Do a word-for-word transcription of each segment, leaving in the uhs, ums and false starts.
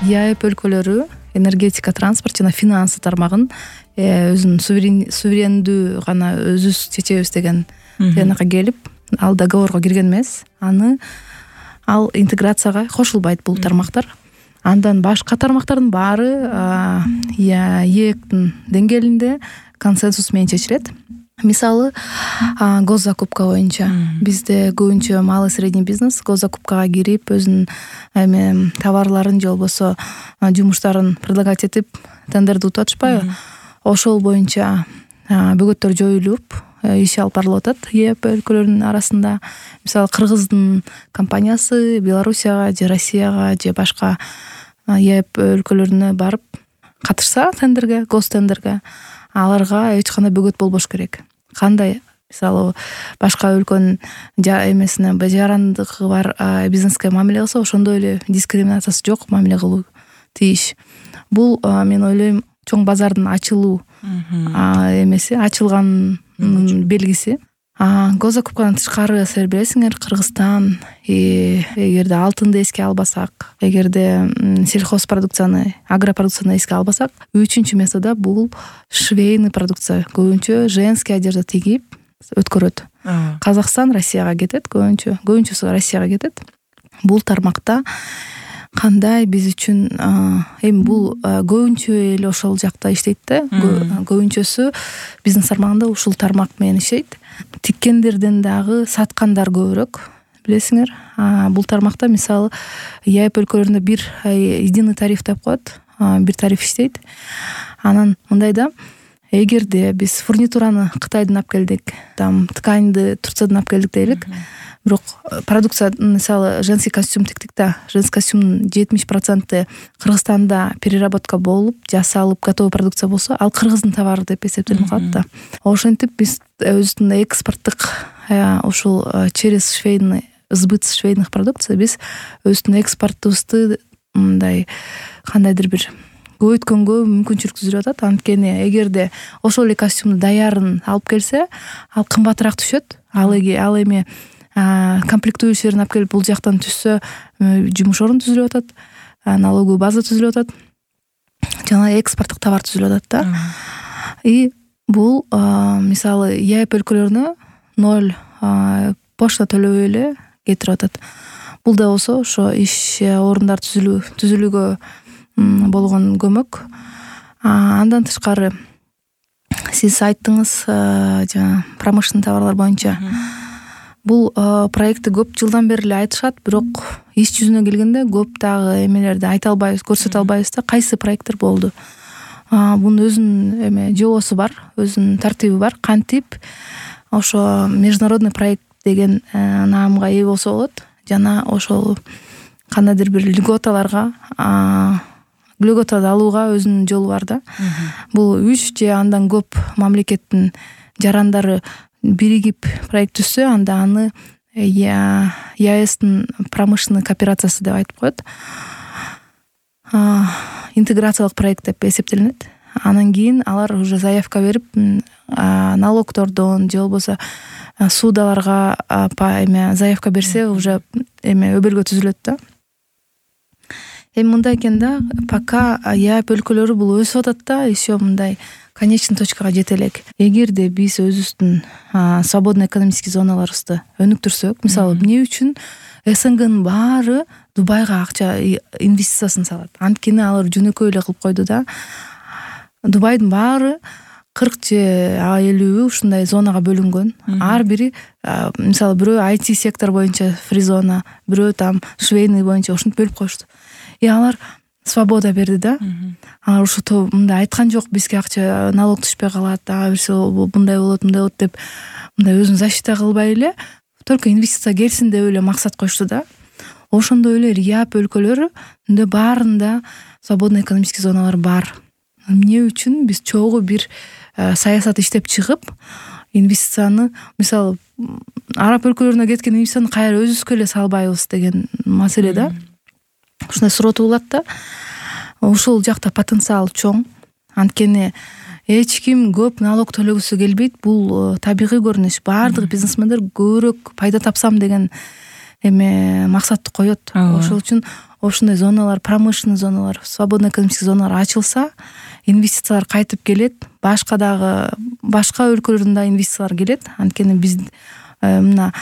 ЕАЭП өлкөлөрү энергетика, транспорт жана финансы тармагын өзүнүн суверендүү гана өзүбүз чечебиз деген тыянакка келип, ал договорго кирген эмес. Аны ал интеграцияга кошулбайт бул тармактар. Андан башка тармактардын баары ЕЭКтин деңгээлинде консенсус менен чечилет. Мисалы, госзакупка боюнча бизде көбүнчө малый средний бизнес госзакупкага кирип, өзүнүн эме товарларын же болбосо жумуштарын предлагать этип тендерди утуп атышпайбы? Ошол боюнча бөгөттөр жоюлуп, иш алып барылып атат ЕАЭП өлкөлөрүнүн арасында. Мисалы, Кыргыздын компаниясы Белоруссияга же Россияга же башка ЕАЭП өлкөлөрүнө барып катышса тендерге, гостендерге, аларга эч кандай бөгөт болбош керек. Кандай, мисалы, башка өлкөнүн эмесине жарандыгы бар бизнеске мамиле кылса, ошондой эле дискриминациясы жок мамиле кылуу тийиш. Бул мен ойлойм чоң базардын ачылуу эмеси, ачылган белгиси. Госзакупкадан тышкары силер билесиңер, Кыргызстан эгерде алтынды эске албасак, эгерде сельхозпродукцияны, агропродукцияны эске албасак, үчүнчү местада бул швейный продукция, көбүнчө женский одежда тигип өткөрөт. Казакстан Россияга кетет, көбүнчө, көбүнчөсү Россияга кетет. Бул тармакта кандай биз үчүн эми бул көбүнчө эле ошол жакта иштейт да, көбүнчөсү бизнес тармагында ушул тармак менен иштейт. Тиккендерден дагы саткандар көбүрөөк, билесиңер. Бул тармакта мисалы ЕАЭП өлкөлөрүндө бир единый тариф деп коет, бир тариф иштейт. Анан мындай да, эгерде биз фурнитураны Кытайдан алып келдик, там тканьды Турциядан алып келдик дейлик, бирок продукция, мисалы, женский костюм тиктик да, женский костюмдун жетимиш проценти Кыргызстанда переработка болуп, жасалып, готовый продукция болсо, ал кыргыздын товары деп эсептелип калат да. Ошентип биз өзүбүздүн экспорттук ушул через швейный, сбыт швейных продукций биз өзүбүздүн экспортубузду мындай кандайдыр бир көбөйткөнгө мүмкүнчүлүк түзүлүп атат. Анткени эгерде ошол эле костюмду даярын алып келсе, ал кымбатыраак түшөт. Ал эми комплектующийлерин алып келип бул жактан түшсө, жумуш орун түзүлүп атат, налоговый база түзүлүп атат, жана экспорттук товар түзүлүп атат да. И бул мисалы ЕАЭП өлкөлөрүнө ноль почта төлөбөй эле кетирип атат. Бул да болсо ошо иш орундар түзүлүү түзүлүүгө болгон көмөк. Андан тышкары сиз айттыңыз жана промышленный товарлар боюнча. Бул проектти көп жылдан бери эле айтышат, бирок иш жүзүнө келгенде көп дагы эмелерди айта албайбыз, көрсөтө албайбыз да, кайсы проекттер болду. Бунун өзүнүн эме жобосу бар, өзүнүн тартиби бар. Кантип ошо международный проект деген наамга ээ болсо болот, жана ошол кандайдыр бир льготаларга, льготады алууга өзүнүн жолу бар да. Бул үч же андан көп мамлекеттин жарандары биригип проект түзсө, анда аны ЕАЭСтин промышленный кооперациясы деп айтып коет. Интеграциялык проект деп эсептелинет. Анан кийин алар уже заявка берип, налогтордон же болбосо судаларга эме заявка берсе, уже эме өбөлгө түзүлөт да. Эми мындай экен да, пока ЕАЭП өлкөлөрү бул өсүп атат да, еще мындай конечный точкага жете элек. Эгерде биз өзүбүздүн свободный экономический зоналарыбызды өнүктүрсөк, мисалы, эмне үчүн СНГнын баары Дубайга акча инвестициясын салат? Анткени алар жөнөкөй эле кылып койду да. Дубайдын баары кырк же элүү ушундай зонага бөлүнгөн. Ар бири, мисалы, бирөө ай ти сектор боюнча фри зона, бирөө там швейный боюнча ушинтип бөлүп коюшту. И алар свобода берди да. Алар ушул мындай айткан жок, бизге акча налог түшпөй калат, ага берсе мындай болот, мындай болот деп, мындай өзүн защита кылбай эле, только инвестиция келсин деп эле максат коюшту да. Ошондой эле ЕАЭП өлкөлөрүндө баарында свободный экономический зоналар бар. Эмне үчүн биз чогуу бир саясат иштеп чыгып, инвестицияны, мисалы, араб өлкөлөрүнө кеткен инвестицияны кайра өзүбүзгө эле салбайбыз деген маселе да. Ушундай суроо туулат да. Ушул жакта потенциал чоң. Анткени эч ким көп налог төлөгүсү келбейт. Бул табигый көрүнүш. Баардык бизнесмендер көбүрөөк пайда тапсам деген эме максатты коет. Ошол үчүн ошондой зоналар, промышленный зоналар, свободный экономический зоналар ачылса, инвестициялар кайтып келет, башка дагы башка өлкөлөрдөн да инвестициялар келет. Анткени биз мына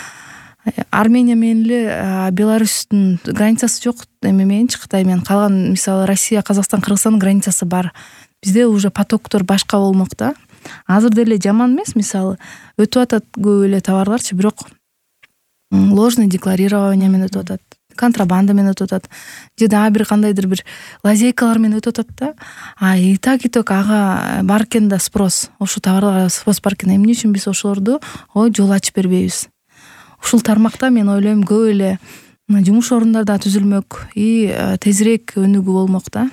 Армения менен эле Беларустун границасы жок эме мененчи, Кытай менен. Калган мисалы Россия, Казакстан, Кыргызстандын границасы бар. Бизде уже потоктор башка болмок да. Азыр деле жаман эмес, мисалы өтүп атат көп эле товарларчы, бирок ложный декларирование менен өтүп атат, контрабанда менен өтүп атат, же дагы бир кандайдыр бир лазейкалар менен өтүп атат да. А и так и так ага бар экен да спрос. Ошол товарларга спрос бар экен. Эмне үчүн биз ошолорду ой жол ачып бербейбиз? Ушул тармакта мен ойлойм көп эле жумуш орундар да түзүлмөк и тезирээк өнүгүү болмок да.